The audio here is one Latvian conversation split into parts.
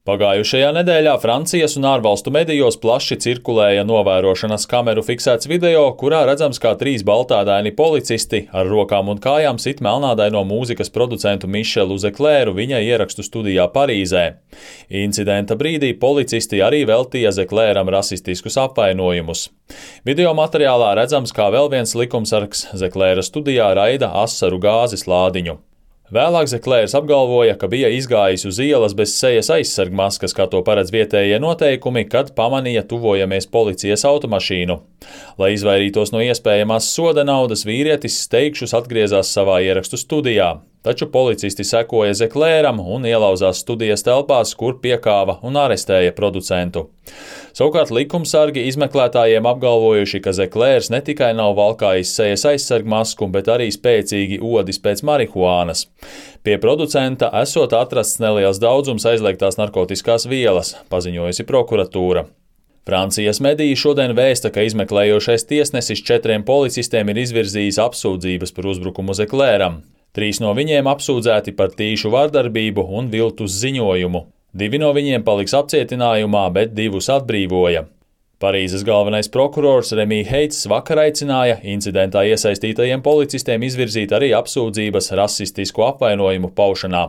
Pagājušajā nedēļā Francijas un ārvalstu medijos plaši cirkulēja novērošanas kameru fiksēts video, kurā redzams, kā 3 baltādaini policisti ar rokām un kājām sit melnādaino mūzikas producentu Mišelu Zeklēru viņa ierakstu studijā Parīzē. Incidenta brīdī policisti arī veltīja Zeklēram rasistiskus apvainojumus. Video materiālā redzams, kā vēl viens likumsargs Zeklēra studijā raida asaru gāzes lādiņu. Vēlāk Zeklērs apgalvoja, ka bija izgājis uz ielas bez sejas aizsargmaskas, kā to paredz vietējie noteikumi, kad pamanīja tuvojamies policijas automašīnu. Lai izvairītos no iespējamās soda naudas, vīrietis steigšus atgriezās savā ierakstu studijā. Taču policisti sekoja Zeklēram un ielauzās studijas telpās, kur piekāva un arestēja producentu. Savukārt likumsargi izmeklētājiem apgalvojuši, ka Zeklērs ne tikai nav valkājis sejas aizsargmasku, bet arī spēcīgi odis pēc marihuānas. Pie producenta esot atrasts neliels daudzums aizliegtās narkotiskās vielas, paziņojusi prokuratūra. Francijas mediji šodien vēsta, ka izmeklējošais tiesnesis 4 policistiem ir izvirzījis apsūdzības par uzbrukumu Zeklēram. 3 no viņiem apsūdzēti par tīšu vardarbību un viltus ziņojumu. 2 no viņiem paliks apcietinājumā, bet 2 atbrīvoja. Parīzes galvenais prokurors Remy Heits vakar aicināja incidentā iesaistītajiem policistiem izvirzīt arī apsūdzības rasistisku apvainojumu paušanā.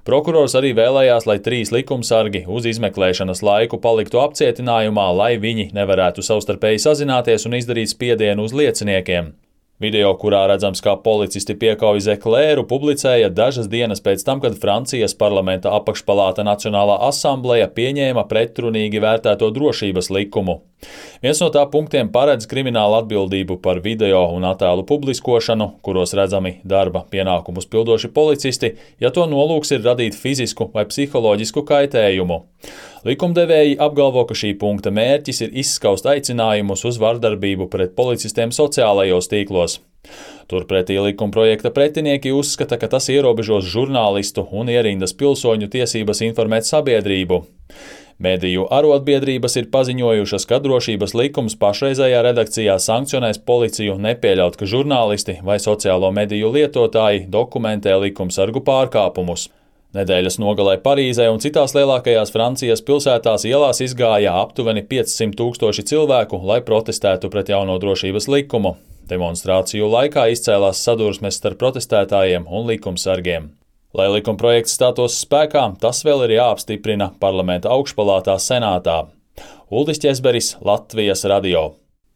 Prokurors arī vēlējās, lai 3 likumsargi uz izmeklēšanas laiku paliktu apcietinājumā, lai viņi nevarētu savstarpēji sazināties un izdarīt spiedienu uz lieciniekiem. Video, kurā redzams, kā policisti piekauj Zeklēru, publicēja dažas dienas pēc tam, kad Francijas parlamenta apakšpalāta Nacionālā asambleja pieņēma pretrunīgi vērtēto drošības likumu. Viens no tā punktiem paredz kriminālu atbildību par video un attēlu publiskošanu, kuros redzami darba pienākumus pildoši policisti, ja to nolūks ir radīt fizisku vai psiholoģisku kaitējumu. Likumdevēji apgalvo, ka šī punkta mērķis ir izskaust aicinājumus uz vardarbību pret policistiem sociālajos tīklos. Turpretī likumprojekta pretinieki uzskata, ka tas ierobežos žurnālistu un ierindas pilsoņu tiesības informēt sabiedrību. Mediju arotbiedrības ir paziņojušas, ka drošības likums pašreizējā redakcijā sankcionēs policiju nepieļaut, ka žurnālisti vai sociālo mediju lietotāji dokumentē likumsargu pārkāpumus. Nedēļas nogalē Parīzē un citās lielākajās Francijas pilsētās ielās izgāja aptuveni 500 000 cilvēku, lai protestētu pret jauno drošības likumu. Demonstrāciju laikā izcēlās sadursmes starp protestētājiem un likumsargiem. Lai likumprojekts stātos spēkā, tas vēl ir jāapstiprina parlamenta augšpalātā senātā. Uldis Ķezberis, Latvijas radio.